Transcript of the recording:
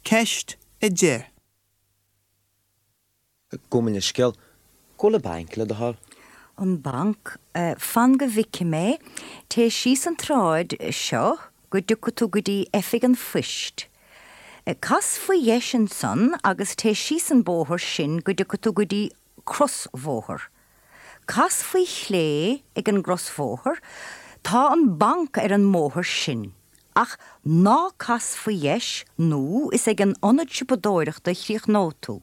Ceist 10. Gabh mo leithscéal. Cá bhfuil an banc, le do thoil? An banc? Fan go bhfeicfidh mé. Téigh síos an tsráid seo go dtiocfaidh tú go dtí oifig an phoist. Cas faoi dheis ansan agus téigh síos an bóthar sin go dtiocfaidh tú go dtí crosbhóthar. Cas faoi chlé ag an gcrosbhóthar, tá an banc ar an mbóthar sin. Ach ná cas faoi dheis nó is ag an ionad siopadóireachta a chríochnóidh tú.